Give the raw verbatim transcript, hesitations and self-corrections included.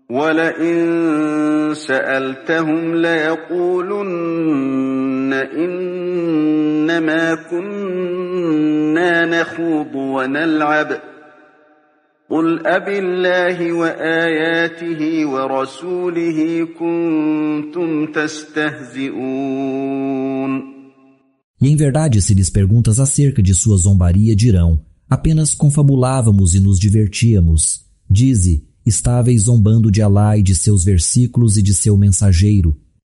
وَلَئِن سَأَلْتَهُمْ لَيَقُولُنَّ إِنَّمَا كُنَّا نَخُوضُ وَنَلْعَبُ قُلْ أَبِاللَّهِ وَآيَاتِهِ وَرَسُولِهِ كُنتُمْ تَسْتَهْزِئُونَ. E em verdade, se lhes perguntas acerca de sua zombaria, dirão: apenas confabulávamos e nos divertíamos. Dize: estáveis zombando de Alá e de seus versículos e de seu mensageiro.